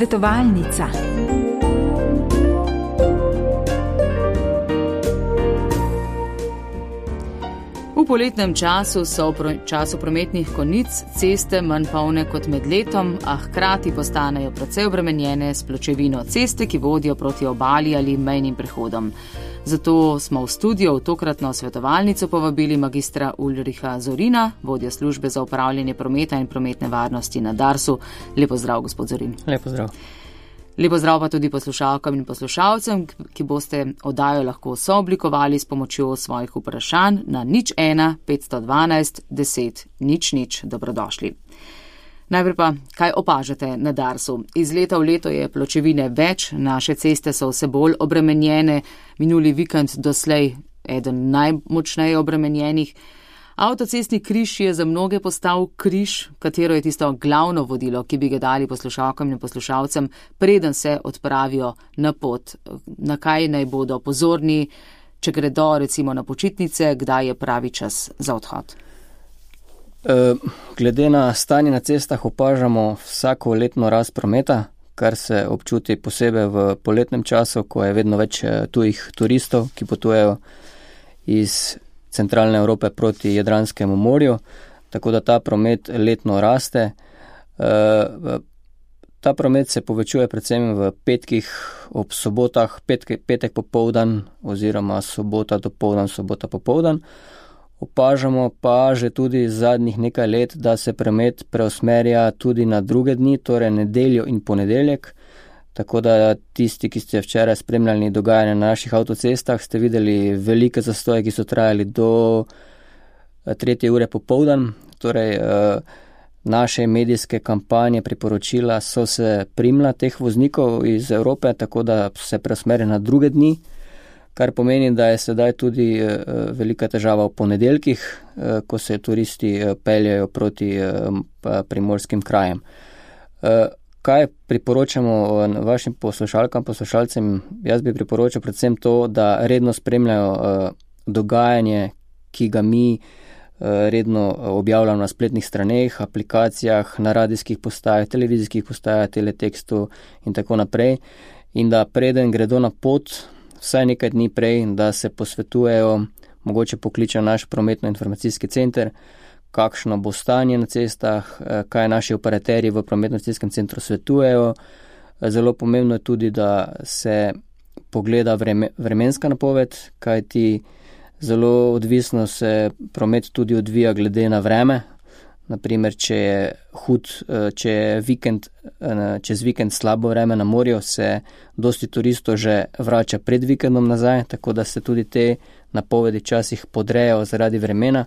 Svetovalnica. V poletnem času so v času prometnih konic ceste manj polne kot med letom, a hkrati postanejo precej obremenjene s pločevino ceste, ki vodijo proti obali ali mejnim prehodom. Zato smo v studio v tokratno svetovalnico povabili magistra Ulricha Zorina, vodja službe za upravljanje prometa in prometne varnosti na Darsu. Lepo zdrav, gospod Zorin. Lepo zdrav. Lepo zdrav pa tudi poslušalkam in poslušalcem, ki boste oddajo lahko sooblikovali s pomočjo svojih vprašanj na 01 512 10 00. Dobrodošli. Najprej pa, kaj opažate na Darsu? Iz leta v leto je pločevine več, naše ceste so vse bolj obremenjene, minuli vikend doslej eden najmočneje obremenjenih. Avtocestni križ je za mnoge postal križ, katero je tisto glavno vodilo, ki bi ga dali poslušalkam in poslušalcem, preden se odpravijo na pot. Na kaj naj bodo pozorni, če gredo recimo na počitnice, kdaj je pravi čas za odhod? Glede na stanje na cestah opažamo vsako letno rast prometa, kar se občuti posebej v poletnem času, ko je vedno več tujih turistov, ki potujejo iz centralne Evrope proti Jadranskemu morju, tako da ta promet letno raste. Ta promet se povečuje predvsem v petkih, ob sobotah, petek popoldan oziroma sobota dopoldan, sobota popoldan. Opažamo pa že tudi zadnjih nekaj let, da se promet preusmerja tudi na druge dni, torej nedeljo in ponedeljek. Tako da tisti, ki ste včeraj spremljali dogajanje na naših avtocestah, ste videli velike zastoje, ki so trajali do 3. ure popoldan. Torej, naše medijske kampanje, priporočila so se primla teh voznikov iz Evrope, tako da se preusmerja na druge dni, kar pomeni, da je sedaj tudi velika težava v ponedeljkih, ko se turisti peljajo proti primorskim krajem. Kaj priporočamo vašim poslušalkam, poslušalcem? Jaz bi priporočal predvsem to, da redno spremljajo dogajanje, ki ga mi redno objavljamo na spletnih straneh, aplikacijah, na radijskih postajah, televizijskih postajah, teletekstu in tako naprej. In da preden gredo na pot, vsaj nekaj dni prej, da se posvetujejo, mogoče pokličejo naš prometno-informacijski center, kakšno bo stanje na cestah, kaj naši operaterji v prometno-informacijskem centru svetujejo. Zelo pomembno je tudi, da se pogleda vremenska napoved, kajti zelo odvisno se promet tudi odvija glede na vreme. Naprimer, če je čez vikend slabo vreme na morju, se dosti turistov že vrača pred vikendom nazaj, tako da se tudi te napovedi časih podrejo zaradi vremena.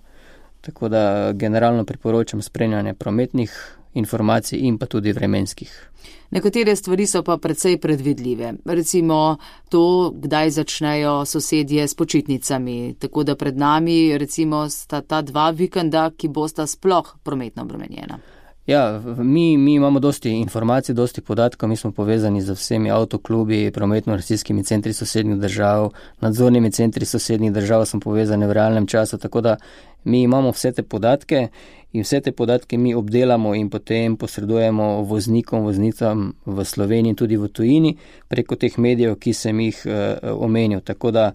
Tako da generalno priporočam spremljanje prometnih informacij in pa tudi vremenskih. Nekatere stvari so pa precej predvidljive. Recimo to, kdaj začnejo sosedje s počitnicami. Tako da pred nami recimo sta ta 2 vikenda, ki bosta sploh prometno obremenjena. Ja, mi imamo dosti informacij, dosti podatkov, mi smo povezani z vsemi avtoklubi, prometno-informacijskimi centri sosednjih držav, nadzornimi centri sosednjih držav smo povezani v realnem času, tako da mi imamo vse te podatke in vse te podatke mi obdelamo in potem posredujemo voznikom, voznicam v Sloveniji in tudi v tujini preko teh medijev, ki sem jih omenil. Tako da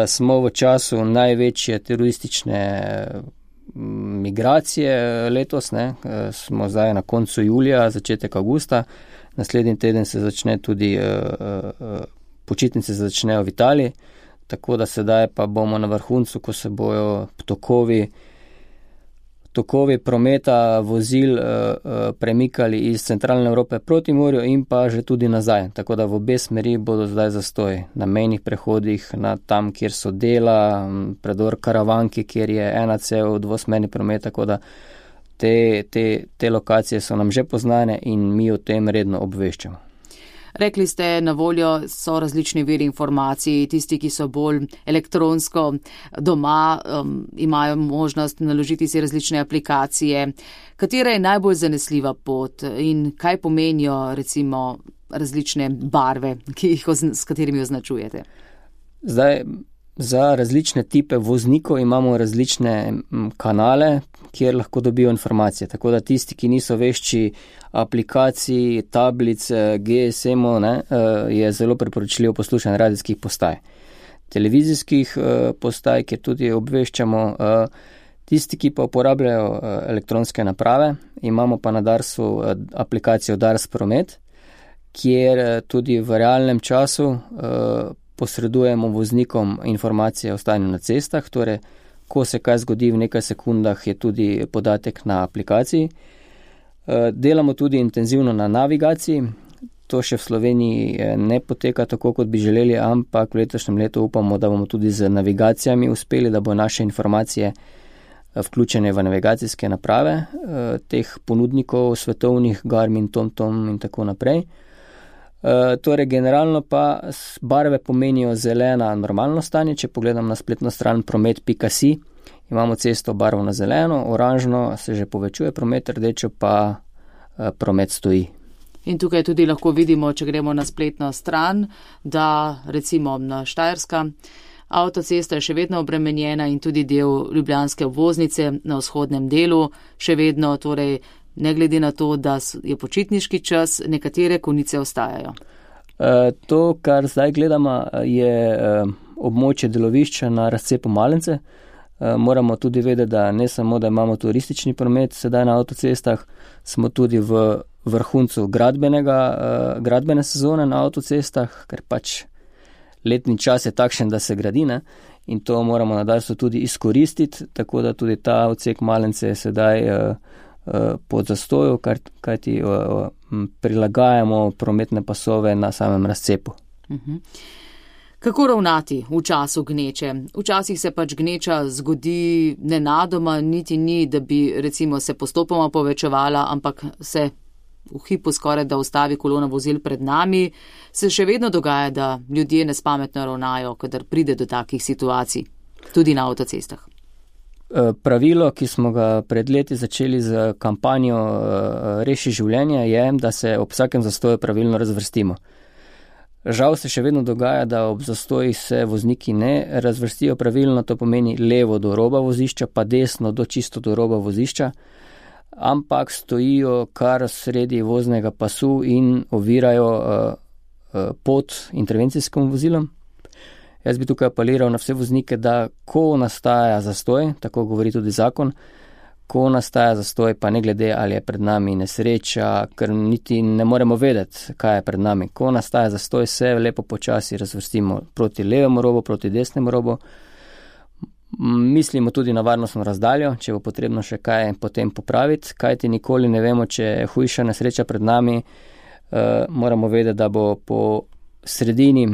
smo v času največje turistične migracije letos, smo zdaj na koncu julija, začetek avgusta, naslednji teden se začne tudi, počitnice se začnejo v Italiji, tako da sedaj pa bomo na vrhuncu, ko se bojo tokovi prometa vozil premikali iz centralne Evrope proti morju in pa že tudi nazaj. Tako da v obe smeri bodo zdaj zastoji na mejnih prehodih, na tam, kjer so dela, predor Karavanki, kjer je ena cev dvosmerni promet, tako da te lokacije so nam že poznane in mi o tem redno obveščamo. Rekli ste, na voljo so različni viri informacij, tisti, ki so bolj elektronsko doma, imajo možnost naložiti si različne aplikacije. Katera je najbolj zanesljiva pot in kaj pomenijo recimo različne barve, s katerimi označujete? Zdaj, Za različne tipe voznikov imamo različne kanale, kjer lahko dobijo informacije. Tako da tisti, ki niso vešči aplikacij, tablic, GSM-ov, je zelo priporočljivo poslušanje radijskih postaj. Televizijskih postaj, kjer tudi obveščamo. Tisti, ki pa uporabljajo elektronske naprave, imamo pa na Darsu aplikacijo Dars Promet, kjer tudi v realnem času posredujemo voznikom informacije o stanju na cestah, torej, ko se kaj zgodi v nekaj sekundah, je tudi podatek na aplikaciji. Delamo tudi intenzivno na navigaciji, to še v Sloveniji ne poteka tako, kot bi želeli, ampak v letošnjem letu upamo, da bomo tudi z navigacijami uspeli, da bo naše informacije vključene v navigacijske naprave teh ponudnikov svetovnih, Garmin, TomTom in tako naprej. Torej, generalno pa barve pomenijo zelena normalno stanje, če pogledam na spletno stran promet.si, imamo cesto barvo na zeleno, oranžno se že povečuje promet, rdečo pa promet stoji. In tukaj tudi lahko vidimo, če gremo na spletno stran, da recimo na Štajerska avtocesta je še vedno obremenjena in tudi del ljubljanske obvoznice na vzhodnem delu še vedno, torej ne glede na to, da je počitniški čas, nekatere konice ostajajo. To, kar zdaj gledamo, je območje delovišča na razcepu Malence. Moramo tudi vedeti, da ne samo, da imamo turistični promet sedaj na avtocestah, smo tudi v vrhuncu gradbene sezone na avtocestah, ker pač letni čas je takšen, da se gradi, ne? In to moramo na Darsu tudi izkoristiti, tako da tudi ta odsek Malence je sedaj pod zastoju, kajti prilagajamo prometne pasove na samem razcepu. Kako ravnati v času gneče? Včasih se pač gneča zgodi nenadoma, niti ni, da bi recimo se postopoma povečevala, ampak se v hipu skoraj da ustavi kolona vozil pred nami. Se še vedno dogaja, da ljudje nespametno ravnajo, kadar pride do takih situacij, tudi na avtocestah. Pravilo, ki smo ga pred leti začeli z kampanjo Reši življenje, je, da se ob vsakem zastoju pravilno razvrstimo. Žal se še vedno dogaja, da ob zastojih se vozniki ne razvrstijo pravilno, to pomeni levo do roba vozišča, pa desno čisto do roba vozišča, ampak stojijo kar sredi voznega pasu in ovirajo pot intervencijskim vozilom. Jaz bi tukaj apeliral na vse voznike, da ko nastaja zastoj, tako govori tudi zakon, ko nastaja zastoj, pa ne glede ali je pred nami nesreča, ker niti ne moremo vedeti, kaj je pred nami. Ko nastaja zastoj, se lepo počasi razvrstimo proti levemu robu, proti desnemu robu. Mislimo tudi na varnostno razdaljo, če bo potrebno še kaj potem popraviti, kajti nikoli ne vemo, če je hujša nesreča pred nami. Moramo vedeti, da bo po sredini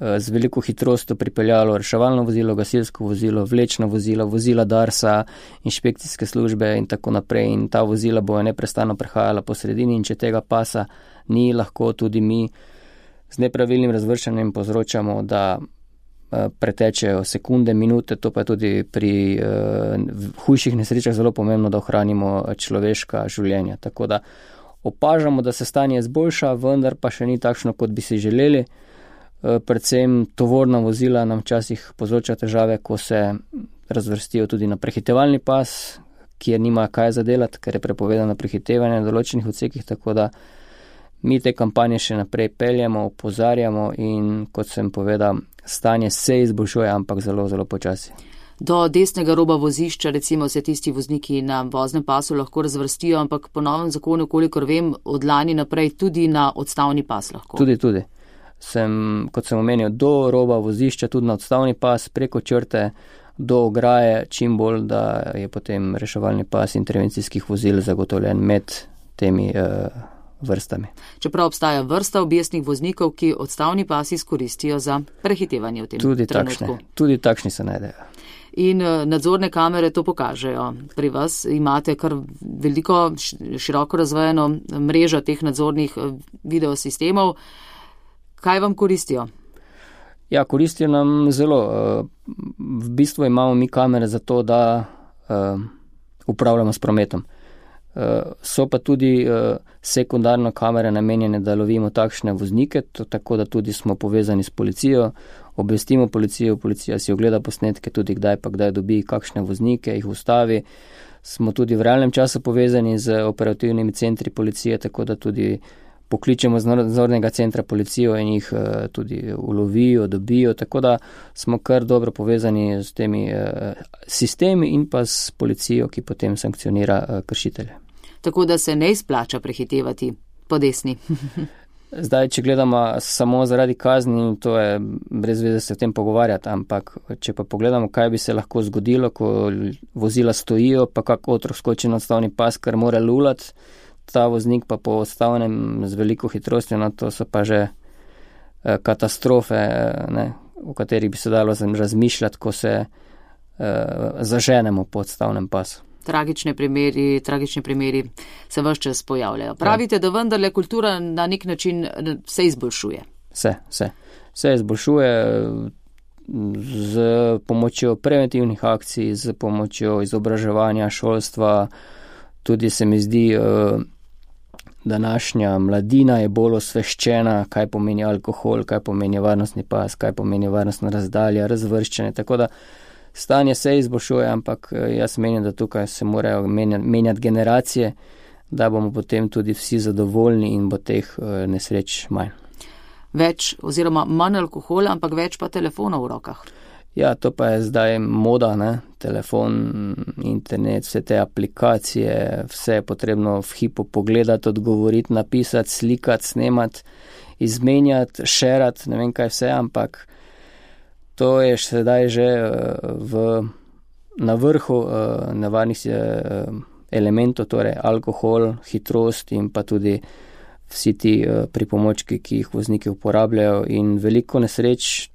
z veliko hitrostjo pripeljalo reševalno vozilo, gasilsko vozilo, vlečno vozilo, vozila Darsa, inšpekcijske službe in tako naprej. In ta vozila bojo neprestano prehajala po sredini in če tega pasa ni, lahko tudi mi z nepravilnim razvrščanjem povzročamo, da pretečejo sekunde, minute, to pa je tudi pri hujših nesrečah zelo pomembno, da ohranimo človeška življenja. Tako da opažamo, da se stanje izboljša, vendar pa še ni takšno, kot bi si želeli. Predvsem tovorna vozila nam včasih povzroča težave, ko se razvrstijo tudi na prehitevalni pas, kjer nima kaj zadelati, ker je prepovedano prehitevanje na določenih odsekih, tako da mi te kampanje še naprej peljemo, opozarjamo in, kot sem povedal, stanje se izboljšuje, ampak zelo, zelo počasi. Do desnega roba vozišča, recimo, se tisti vozniki na voznem pasu lahko razvrstijo, ampak po novem zakonu, kolikor vem, od lani naprej tudi na odstavni pas lahko. Tudi. Kot sem omenil, do roba vozišča, tudi na odstavni pas, preko črte, do ograje, čim bolj, da je potem reševalni pas intervencijskih vozil zagotovljen med temi vrstami. Čeprav obstaja vrsta objestnih voznikov, ki odstavni pas izkoristijo za prehitevanje v tem trenutku. Tudi takšni se najdejo. In nadzorne kamere to pokažejo. Pri vas imate kar veliko, široko razvejeno mrežo teh nadzornih videosistemov. Kaj vam koristijo? Ja, koristijo nam zelo. V bistvu imamo mi kamere za to, da upravljamo s prometom. So pa tudi sekundarno kamere namenjene, da lovimo takšne voznike, tako da tudi smo povezani s policijo, obvestimo policijo, policija si ogleda posnetke, tudi kdaj dobi kakšne voznike, jih ustavi. Smo tudi v realnem času povezani z operativnimi centri policije, tako da tudi pokličemo z nadzornega centra policijo in jih tudi ulovijo, dobijo, tako da smo kar dobro povezani s temi sistemi in pa s policijo, ki potem sankcionira kršitelje. Tako da se ne izplača prehitevati po desni. Zdaj, če gledamo samo zaradi kazni, to je brez veze se o tem pogovarjati, ampak če pa pogledamo, kaj bi se lahko zgodilo, ko vozila stojijo, pa kak otrok skoči na odstavni pas, kar mora lulati, ta voznik pa po odstavnem z veliko hitrostjo, no to so pa že katastrofe, o katerih bi se dalo razmišljati, ko se zaženemo po odstavnem pasu. Tragični primeri se ves čas pojavljajo. Pravite, da vendarle kultura na nek način se izboljšuje. Se izboljšuje z pomočjo preventivnih akcij, z pomočjo izobraževanja, šolstva. Tudi se mi zdi, današnja mladina je bolj osveščena, kaj pomeni alkohol, kaj pomeni varnostni pas, kaj pomeni varnostna razdalja, razvrščanje, tako da stanje se izboljšuje, ampak jaz menim, da tukaj se morajo menjati generacije, da bomo potem tudi vsi zadovoljni in bo teh nesreč manj. Več oziroma manj alkohola, ampak več pa telefonov v rokah. Ja, to pa je zdaj moda, telefon, internet, vse te aplikacije, vse je potrebno v hipu pogledati, odgovoriti, napisati, slikati, snemati, izmenjati, šerati, ne vem kaj vse, ampak to je sedaj že na vrhu nevarnih elementov, torej alkohol, hitrost in pa tudi vsi ti pripomočki, ki jih vozniki uporabljajo in veliko nesreč,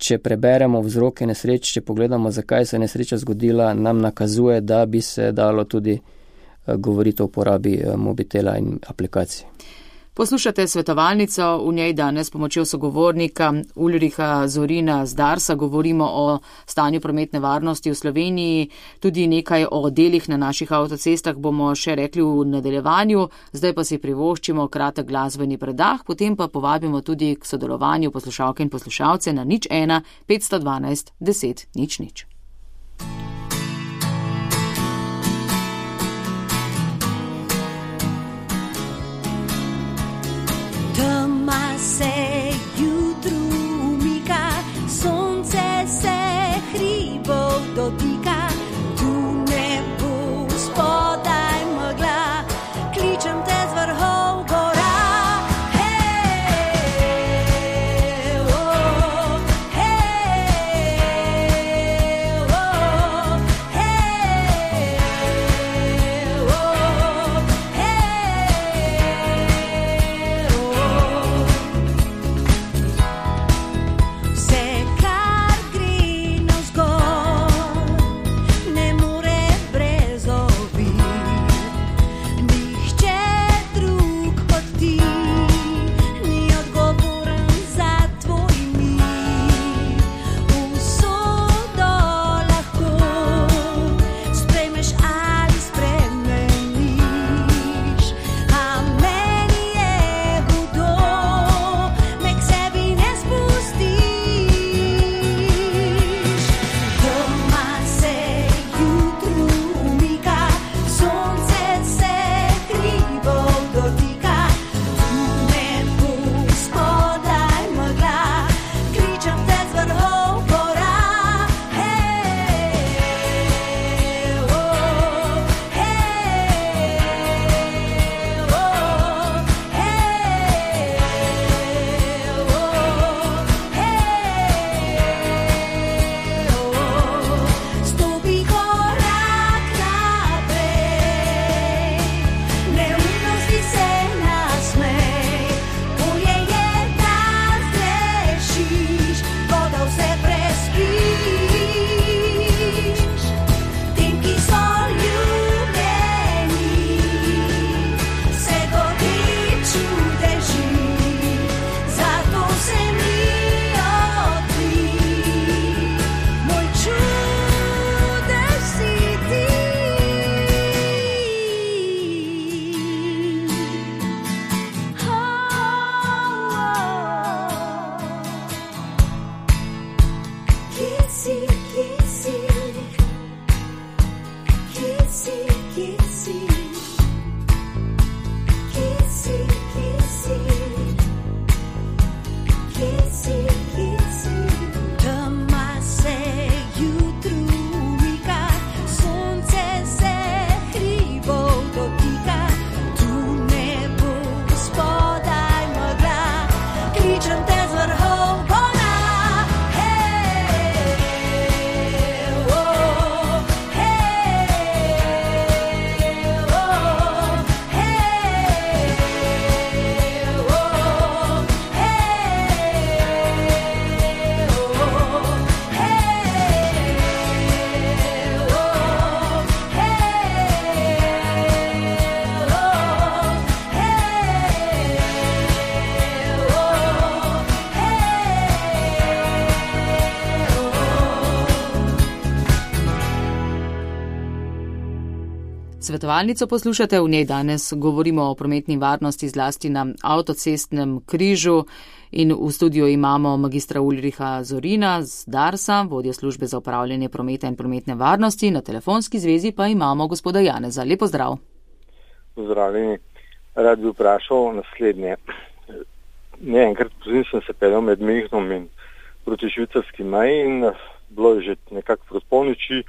če preberemo vzroke nesreč, če pogledamo, zakaj se je nesreča zgodila, nam nakazuje, da bi se dalo tudi govoriti o uporabi mobitela in aplikacij. Poslušate svetovalnico, v njej danes s pomočjo sogovornika Ulriha Zorina z Darsa govorimo o stanju prometne varnosti v Sloveniji, tudi nekaj o delih na naših avtocestah bomo še rekli v nadaljevanju, zdaj pa si privoščimo kratek glasbeni predah, potem pa povabimo tudi k sodelovanju poslušalke in poslušalce na 01 512 10 00. Tema se jutru umika, sonce se hribov dotika, tu ne bo spodaj megla, kličem te z vrhov gora. Hej, oh, hej, svetovalnico poslušate, v njej danes govorimo o prometni varnosti zlasti na avtocestnem križu in v studiu imamo magistra Ulriha Zorina z Darsa, vodjo službe za upravljanje prometa in prometne varnosti, na telefonski zvezi pa imamo gospoda Janeza. Lep pozdrav. Pozdravljeni. Rad bi vprašal naslednje. Enkrat pozim sem se peljal med Münchnom in proti švicarski meji in bilo je že nekako proti polnoči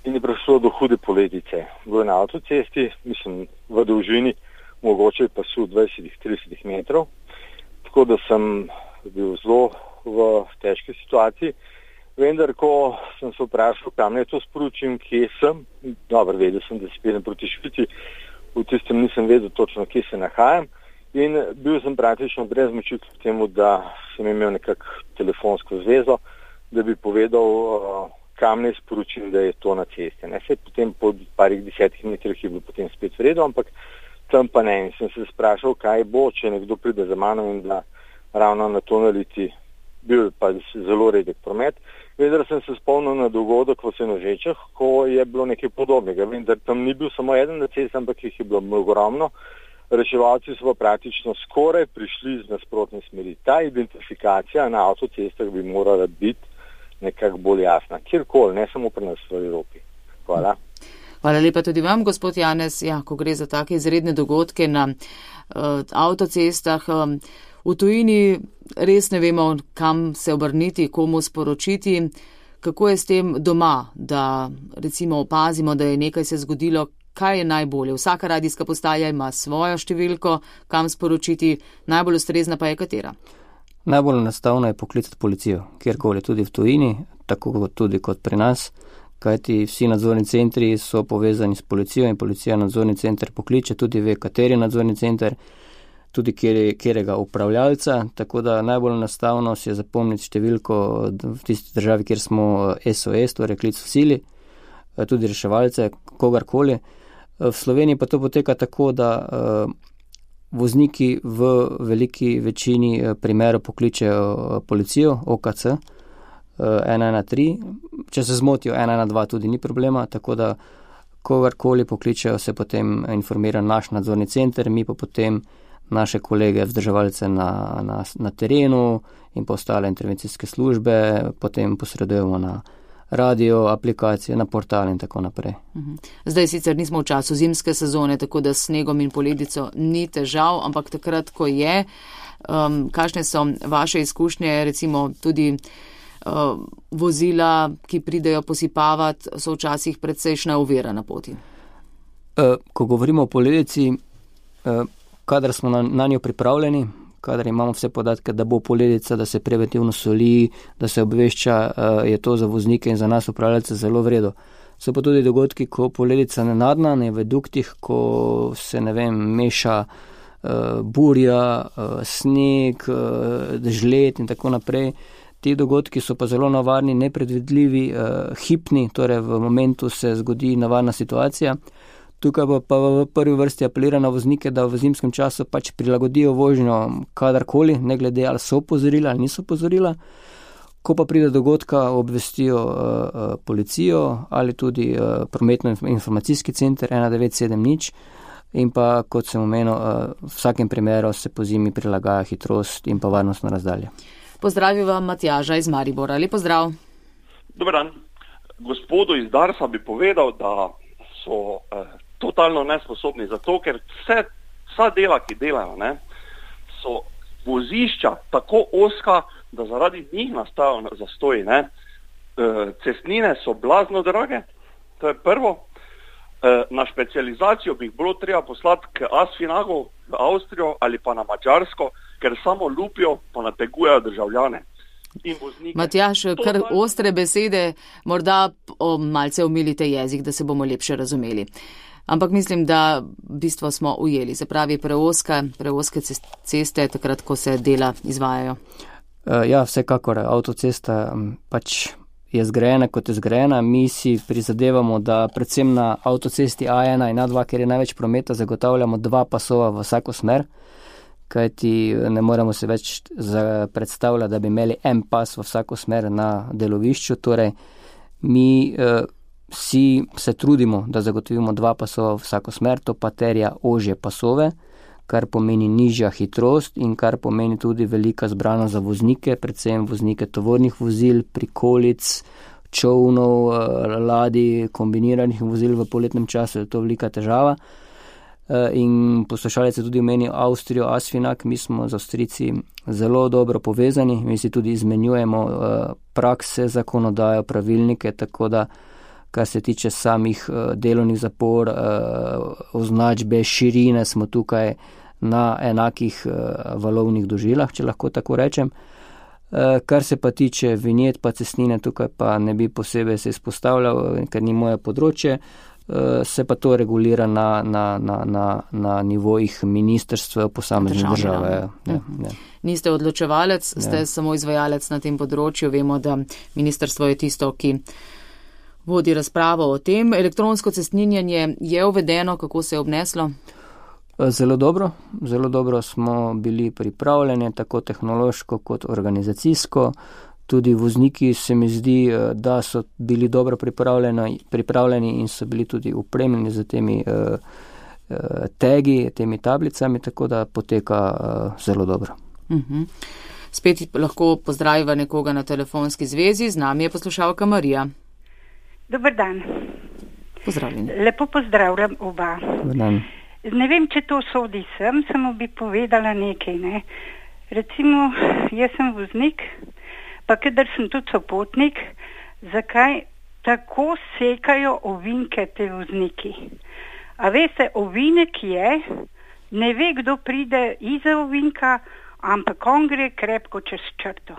in je prišlo do hude poledice. Bilo je na avtocesti, mislim v dolžini, mogoče pa su 20-30 metrov, tako da sem bil zelo v težki situaciji. Vendar, ko sem se vprašal, kam naj to sporočim, kje sem, dobro, vedel sem, da se peljem proti Švici, v tistem nisem vedel točno, kje se nahajam in bil sem praktično brez moči k temu, da sem imel nekako telefonsko zvezo, da bi povedal, kam naj sporočim, da je to na ceste. Ne, potem po parih 10 metrih je bilo potem spet v redu, ampak tam pa ne. In sem se sprašal, kaj bo, če nekdo pride za mano in da ravno na to naliti, bil pa zelo redek promet. Vendar sem se spomnil na dogodek v Senožečah, ko je bilo nekaj podobnega. Vendar tam ni bil samo eden na cesti, ampak jih je bilo ogromno. Reševalci so pa praktično skoraj prišli z nasprotne smeri. Ta identifikacija na avtocestah bi morala biti nekako bolj jasna. Kjerkoli, ne samo pri nas v Evropi. Hvala. Hvala lepa tudi vam, gospod Janez. Ja, ko gre za take izredne dogodke na avtocestah, v tujini res ne vemo, kam se obrniti, komu sporočiti. Kako je s tem doma, da recimo opazimo, da je nekaj se zgodilo, kaj je najbolje? Vsaka radijska postaja ima svojo številko, kam sporočiti, najbolj ustrezna pa je katera? Najbolj enostavno je poklicati policijo, kjerkoli, tudi v tujini, tako tudi kot pri nas, kajti vsi nadzorni centri so povezani s policijo in policija nadzorni center pokliče, tudi ve, kateri nadzorni center, tudi kjerega upravljalca, tako da najbolj enostavno si je zapomniti številko v tisti državi, kjer smo SOS, torej klic v sili, tudi reševalce, kogarkoli. V Sloveniji pa to poteka tako, da vozniki v veliki večini primerov pokličejo policijo, OKC, 113, če se zmotijo 112 tudi ni problema, tako da kogarkoli pokličejo, se potem informira naš nadzorni center, mi pa potem naše kolege vzdrževalce na terenu in pa ostale intervencijske službe, potem posredujemo na radio, aplikacije, na portal in tako naprej. Zdaj sicer nismo v času zimske sezone, tako da s snegom in poledico ni težav, ampak takrat, ko je, kakšne so vaše izkušnje, recimo tudi vozila, ki pridejo posipavati, so včasih precejšna ovira na poti? Ko govorimo o poledici, kadar smo na njo pripravljeni, kadar imamo vse podatke, da bo poledica, da se preventivno soli, da se obvešča, je to za voznike in za nas upravljalce zelo v redu. So pa tudi dogodki, ko poledica nenadna, ne v duktih, ko se, meša burja, sneg, žled in tako naprej. Ti dogodki so pa zelo nevarni, nepredvidljivi, hipni, torej v momentu se zgodi nevarna situacija. Tukaj pa v prvi vrsti apelira na voznike, da v zimskem času pač prilagodijo vožnjo kadarkoli, ne glede ali so opozorila ali niso opozorila. Ko pa pride dogodka, obvestijo policijo ali tudi prometno-informacijski center 1970 in pa, kot sem omenil, v vsakem primeru se po zimi prilagaja hitrost in pa varnostno razdalje. Pozdravim vam Matjaža iz Maribora. Lep pozdrav. Dobar dan. Gospodu iz Darsa bi povedal, da so totalno nesposobni zato, ker vsa dela, ki delajo, so vozišča tako oska, da zaradi njih nastajajo zastoji. Cestnine so blazno drage, to je prvo. Na specializacijo bi jih bilo treba poslati k Asfinagu v Avstrijo ali pa na Madžarsko, ker samo lupijo pa nategujejo državljane. Matjaž, kar ostre besede, morda malce omilite jezik, da se bomo lepše razumeli. Ampak mislim, da bistvo smo ujeli, se pravi preoske ceste, takrat, ko se dela izvajajo. Ja, vsekakor, avtocesta pač je zgrajena, kot je zgrajena. Mi si prizadevamo, da predvsem na avtocesti A1 in A2, ker je največ prometa, zagotavljamo 2 pasova v vsako smer, kajti ne moremo se več predstavljati, da bi imeli en pas v vsako smer na delovišču. Torej, mi Vsi se trudimo, da zagotovimo 2 pasova vsako smer, to pa terja ožje pasove, kar pomeni nižja hitrost in kar pomeni tudi velika zbranost za voznike, predvsem voznike tovornih vozil, prikolic, čovnov, ladij, kombiniranih vozil v poletnem času, je to velika težava. In poslušalec je tudi omenil Avstrijo, Asfinag, mi smo z Avstrijci zelo dobro povezani, mi si tudi izmenjujemo prakse, zakonodajo, pravilnike, tako da kar se tiče samih delovnih zapor, označbe, širine, smo tukaj na enakih valovnih dolžinah, če lahko tako rečem. Kar se pa tiče vinjet pa cestnine, tukaj pa ne bi posebej se izpostavljal, ker ni moje področje, se pa to regulira na nivojih ministrstva posamezne države. Niste odločevalec, ste samo izvajalec na tem področju. Vemo, da ministrstvo je tisto, ki vodi razpravo o tem. Elektronsko cestninjenje je uvedeno, kako se je obneslo? Zelo dobro smo bili pripravljeni, tako tehnološko kot organizacijsko. Tudi vozniki se mi zdi, da so bili dobro pripravljeni in so bili tudi opremljeni z temi tagi, temi tablicami, tako da poteka zelo dobro. Spet lahko pozdraviva nekoga na telefonski zvezi, z nami je poslušalka Marija. Dobar dan. Pozdravljeni. Lepo pozdravljam oba. Dobar dan. Ne vem, če to sodi sem, samo bi povedala nekaj. Ne? Recimo, jaz sem voznik, pa kadar sem tudi sopotnik, zakaj tako sekajo ovinke te vozniki? A veste, ovinek je, ne ve, kdo pride iza ovinka, ampak on gre krepko čez črto.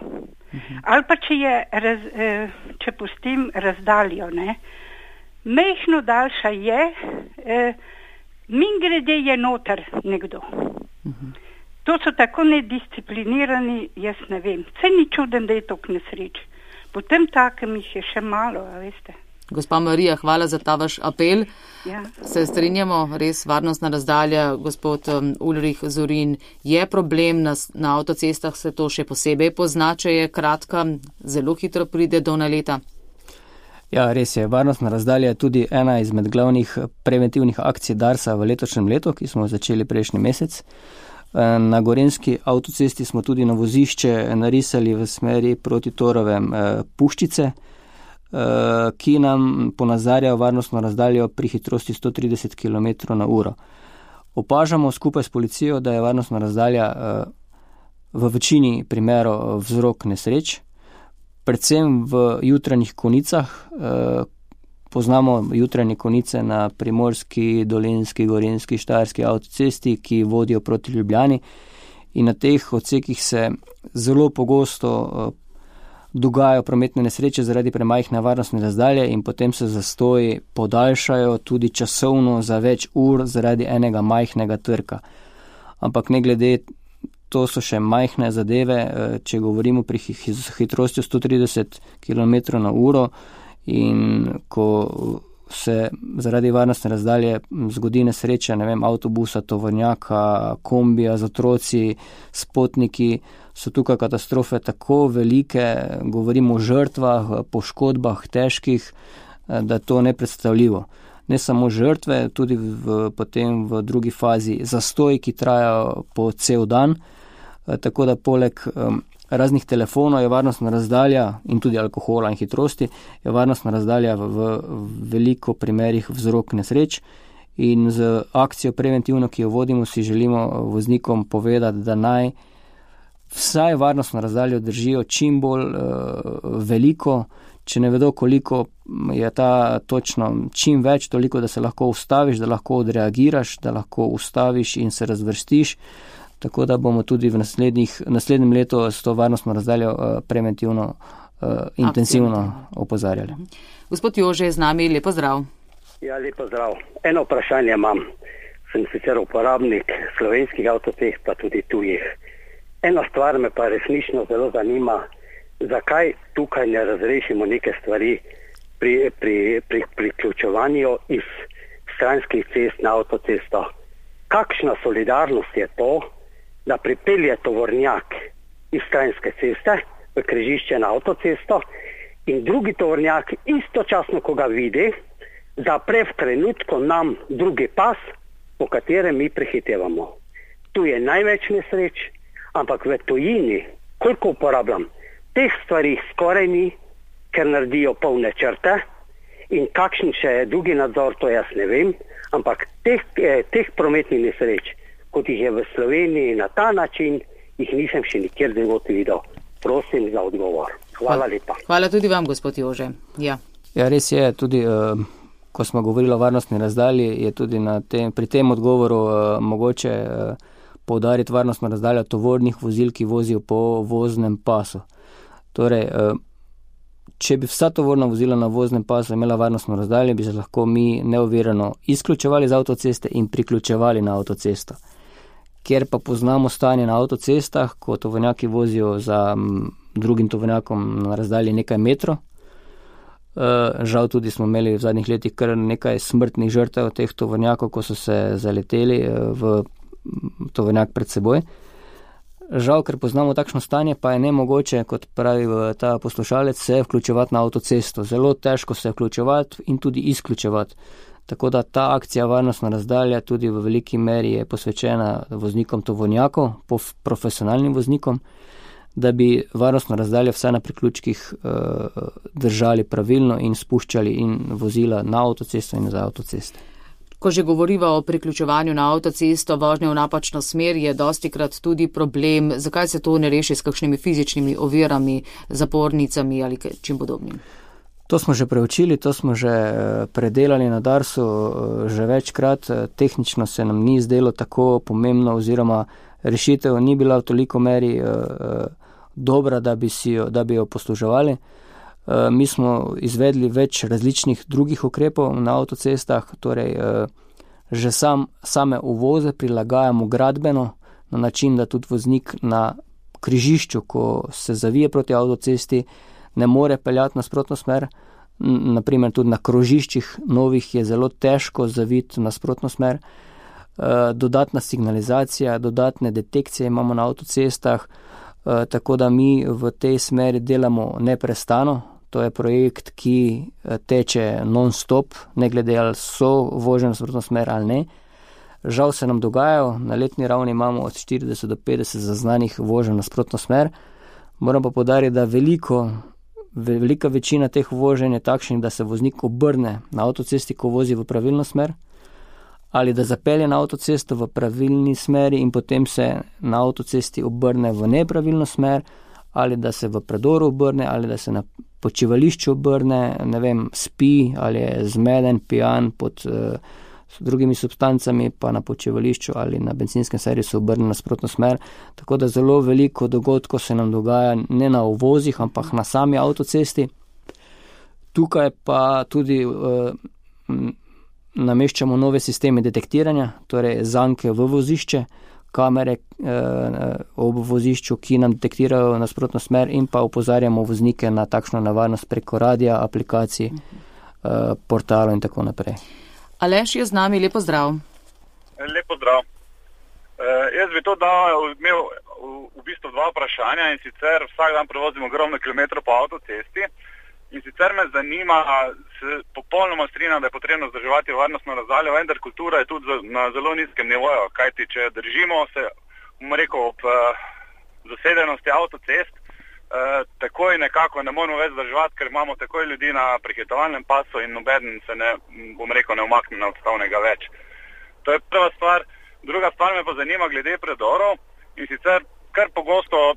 Ali pa če pustim razdaljo, ne? Mehno daljša je, mingrede je noter nekdo. To so tako nedisciplinirani, jaz ne vem. Saj ni čuden, da je toliko nesreč. Potem takem jih je še malo, a veste. Gospa Marija, hvala za ta vaš apel. Ja. Se strinjamo, res varnostna razdalja, gospod Ulrich Zorin, je problem, na avtocestah se to še posebej pozna, če je kratka, zelo hitro pride do naleta. Ja, res je, varnostna razdalja je tudi ena izmed glavnih preventivnih akcij Darsa v letošnjem letu, ki smo začeli prejšnji mesec. Na gorenjski avtocesti smo tudi na vozišče narisali v smeri proti Torovem puščice, ki nam ponazarjajo varnostno razdaljo pri hitrosti 130 km/h. Opažamo skupaj s policijo, da je varnostna razdalja v večini primerov vzrok nesreč, predvsem v jutranjih konicah. Poznamo jutranje konice na Primorski, Dolenjski, Gorenjski, Štajerski avtocesti, ki vodijo proti Ljubljani, in na teh odsekih se zelo pogosto dogajajo prometne nesreče zaradi premajhne varnostne razdalje in potem se zastoji podaljšajo tudi časovno za več ur zaradi enega majhnega trka. Ampak ne glede, to so še majhne zadeve, če govorimo pri hitrosti 130 km/h in ko se zaradi varnostne razdalje zgodi nesreča, ne vem, avtobusa, tovornjaka, kombija z otroci, s potniki, so tukaj katastrofe tako velike, govorimo o žrtvah, poškodbah težkih, da je to nepredstavljivo. Ne samo žrtve, tudi potem v drugi fazi zastoji, ki trajajo po cel dan, tako da poleg raznih telefonov je varnostna razdalja in tudi alkohola in hitrosti, je varnostna razdalja v veliko primerih vzrok nesreč. In z akcijo preventivno, ki jo vodimo, si želimo voznikom povedati, da naj vsaj varnostno razdaljo držijo čim bolj veliko, če ne vedo, koliko je ta točno, čim več, toliko, da se lahko ustaviš, da lahko odreagiraš, da lahko ustaviš in se razvrstiš. Tako da bomo tudi v naslednjem letu s to varnostno razdaljo preventivno, intenzivno opozarjali. Gospod Jože je z nami, lepo zdrav. Ja, lepo zdrav. Eno vprašanje imam. Sem sicer uporabnik slovenskih avtocest, pa tudi tujih. Ena stvar me pa resnično zelo zanima, zakaj tukaj ne razrešimo neke stvari pri priključevanju iz stranskih cest na avtocesto. Kakšna solidarnost je to, da pripelje tovornjak iz stranske ceste v križišče na avtocesto in drugi tovornjak istočasno, ko ga vidi, zapre v trenutku nam drugi pas, po katerem mi prehitevamo. Tu je največ nesreč, ampak v tujini, koliko uporabljam, teh stvari skoraj ni, ker naredijo polne črte in kakšen še je drugi nadzor, to jaz ne vem, ampak teh prometnih nesreč, kot jih je v Sloveniji na ta način, jih nisem še nikjer drugod videl. Prosim za odgovor. Hvala lepa. Hvala tudi vam, gospod Jože. Ja, res je, tudi ko smo govorili o varnostni razdalji, je tudi pri tem odgovoru mogoče poudariti varnostno razdaljo tovornih vozil, ki vozijo po voznem pasu. Torej, če bi vsa tovorna vozila na voznem pasu imela varnostno razdaljo, bi se lahko mi neovirano izključevali z avtoceste in priključevali na avtocesto. Ker pa poznamo stanje na avtocestah, ko tovornjaki vozijo za drugim tovornjakom na razdalji nekaj metrov. Žal tudi smo imeli v zadnjih letih kar nekaj smrtnih žrtev teh tovornjakov, ko so se zaleteli v tovornjak pred seboj. Žal, ker poznamo takšno stanje, pa je nemogoče, kot pravi ta poslušalec, se vključevati na avtocesto. Zelo težko se vključevati in tudi izključevati. Tako da ta akcija varnostna razdalja tudi v veliki meri je posvečena voznikom tovornjakov, profesionalnim voznikom, da bi varnostno razdaljo vse na priključkih držali pravilno in spuščali in vozila na avtocesto in za avtoceste. Ko že govoriva o priključevanju na avtocesto, vožnje v napačno smer je dostikrat tudi problem. Zakaj se to ne reši s kakšnimi fizičnimi ovirami, zapornicami ali čim podobnim? To smo že preučili, to smo že predelali na Darsu že večkrat. Tehnično se nam ni zdelo tako pomembno oziroma rešitev ni bila v toliko meri dobra, da bi jo posluževali. Mi smo izvedli več različnih drugih ukrepov na avtocestah, torej že same uvoze prilagajamo gradbeno na način, da tudi voznik na križišču, ko se zavije proti avtocesti, ne more peljati nasprotno smer. Naprimer tudi na krožiščih novih je zelo težko zaviti nasprotno smer. Dodatna signalizacija, dodatne detekcije imamo na avtocestah, tako da mi v tej smeri delamo neprestano. To je projekt, ki teče non-stop, ne glede ali so vožnje nasprotno smer ali ne. Žal se nam dogajajo, na letni ravni imamo od 40 do 50 zaznanih voženj nasprotno smer. Moram pa poudariti, da velika večina teh voženj je takšnih, da se voznik obrne na avtocesti, ko vozi v pravilno smer, ali da zapelje na avtocesto v pravilni smeri in potem se na avtocesti obrne v nepravilno smer, ali da se v predoru obrne, ali da se na počivališču obrne, ne vem, spi ali je zmeden, pijan pod drugimi substancami, pa na počivališču ali na benzinskem servisu obrne nasprotno smer. Tako da zelo veliko dogodkov se nam dogaja ne na uvozih, ampak na sami avtocesti. Tukaj pa tudi nameščamo nove sisteme detektiranja, torej zanke v vozišče, kamere ob vozišču, ki nam detektirajo nasprotno smer in pa opozarjamo voznike na takšno nevarnost preko radia, aplikacij, portalov in tako naprej. Aleš je z nami, lepo zdrav. Lepo zdrav. Jaz bi to imel v bistvu dva vprašanja, in sicer vsak dan prevozim ogromno kilometrov po avtocesti. In sicer me zanima, se popolnoma strinjam, da je potrebno vzdrževati varnostno razdaljo, vendar kultura je tudi na zelo nizkem nivoju, kajti če držimo se, ob zasedenosti avtocest, takoj nekako ne moramo več vzdrževati, ker imamo takoj ljudi na prehitovalnem pasu in nobeden se ne umakne na odstavnega več. To je prva stvar. Druga stvar me pa zanima glede predorov, in sicer kar pogosto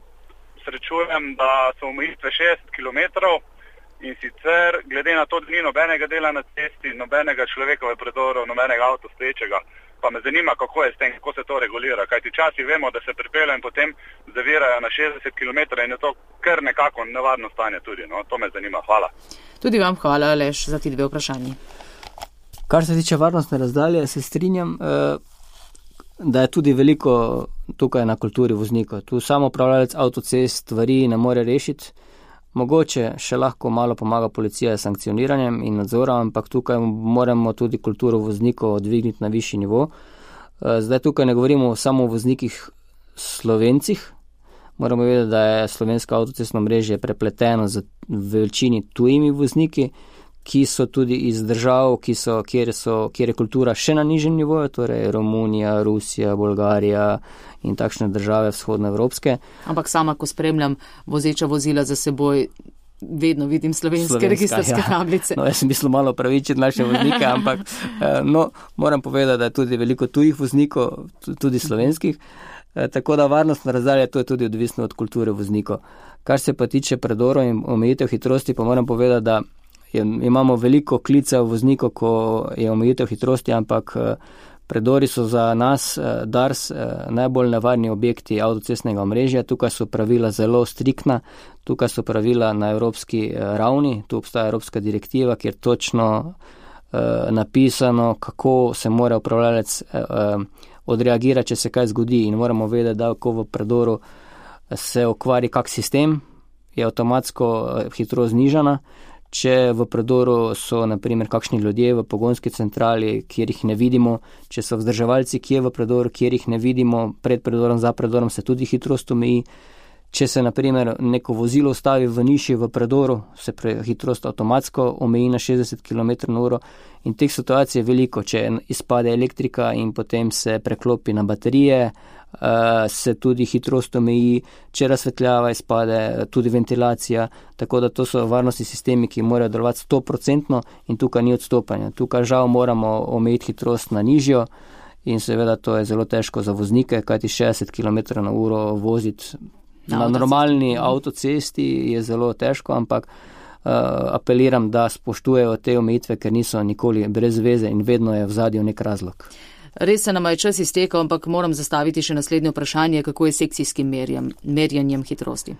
srečujem, da so omejitve 60 km, in sicer glede na to, da ni nobenega dela na cesti, nobenega človeka v predoru, nobenega avto stoječega. Pa me zanima, kako je s tem, kako se to regulira. Kajti včasih vemo, da se pripeljejo in potem zavirajo na 60 km in je to kar nekako nevarno stanje tudi. No? To me zanima. Hvala. Tudi vam hvala, Aleš, za ti dve vprašanji. Kar se tiče varnostne razdalje, se strinjam, da je tudi veliko tukaj na kulturi voznikov. Tu samo upravljalec avtocest stvari ne more rešiti. Mogoče še lahko malo pomaga policija s sankcioniranjem in nadzorom, ampak tukaj moramo tudi kulturo voznikov dvigniti na višji nivo. Zdaj tukaj ne govorimo samo o voznikih Slovencih, Moramo vedeti, da je slovensko avtocestno mrežje prepleteno z večini tujimi vozniki, ki so tudi iz držav, kjer je kultura še na nižjem nivoju, torej Romunija, Rusija, Bolgarija in takšne države vzhodnoevropske. Ampak sama, ko spremljam vozeča vozila za seboj, vedno vidim slovenske registrske tablice. No, jaz sem mislil malo pravičiti naše voznike, ampak moram povedati, da je tudi veliko tujih voznikov, tudi slovenskih. Tako da varnostna razdalja, to je tudi odvisno od kulture voznikov. Kar se pa tiče predorov in omejitev hitrosti, pa moram povedati, da imamo veliko klicev voznikov, ko je omejitev hitrosti, ampak predori so za nas, DARS, najbolj nevarni objekti avtocestnega omrežja. Tukaj so pravila zelo striktna, tukaj so pravila na evropski ravni, tu obstaja evropska direktiva, kjer točno napisano, kako se mora upravljalec odreagirati, če se kaj zgodi, in moramo vedeti, da ko v predoru se okvari kak sistem, je avtomatsko hitrost znižana. Če v predoru so naprimer kakšni ljudje v pogonski centrali, kjer jih ne vidimo, če so vzdrževalci, ki je v predoru, kjer jih ne vidimo, pred predorom, za predorom se tudi hitrost omeji. Če se naprimer neko vozilo ustavi v niši v predoru, se hitrost avtomatsko omeji na 60 km/h in teh situacij je veliko. Če izpade elektrika in potem se preklopi na baterije, se tudi hitrost omeji, če razsvetljava izpade, tudi ventilacija, tako da to so varnostni sistemi, ki morajo delovati 100% in tukaj ni odstopanja. Tukaj žal moramo omejiti hitrost na nižjo in seveda to je zelo težko za voznike, kajti 60 km/h voziti na normalni avtocesti je zelo težko, ampak apeliram, da spoštujejo te omejitve, ker niso nikoli brez veze in vedno je v zadju nek razlog. Res se nam je čas iztekal, ampak moram zastaviti še naslednje vprašanje, kako je s sekcijskim merjenjem hitrosti.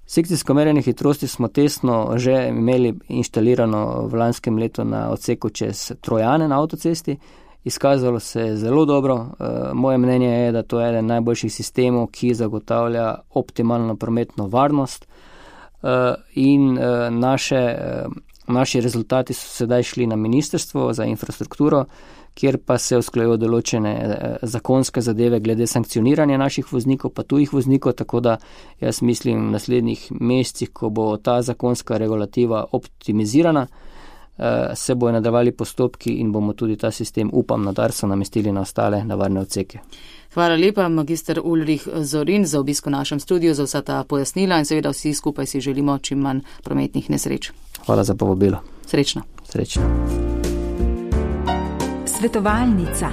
Sekcijsko merjenje hitrosti smo tesno že imeli inštalirano v lanskem letu na odseku čez Trojane na avtocesti. Izkazalo se je zelo dobro. Moje mnenje je, da to je eden najboljših sistemov, ki zagotavlja optimalno prometno varnost in naši rezultati so sedaj šli na Ministrstvo za infrastrukturo, kjer pa se usklajujejo določene zakonske zadeve glede sankcioniranja naših voznikov, pa tujih voznikov, tako da jaz mislim v naslednjih mesecih, ko bo ta zakonska regulativa optimizirana, se bojo nadaljevali postopki in bomo tudi ta sistem, upam, na DARS-u namestili na ostale nevarne odseke. Hvala lepa, magister Ulrich Zorin, za obisk v našem studiu, za vsa ta pojasnila in seveda vsi skupaj si želimo čim manj prometnih nesreč. Hvala za povabilo. Srečno. Srečno. Svetovalnica.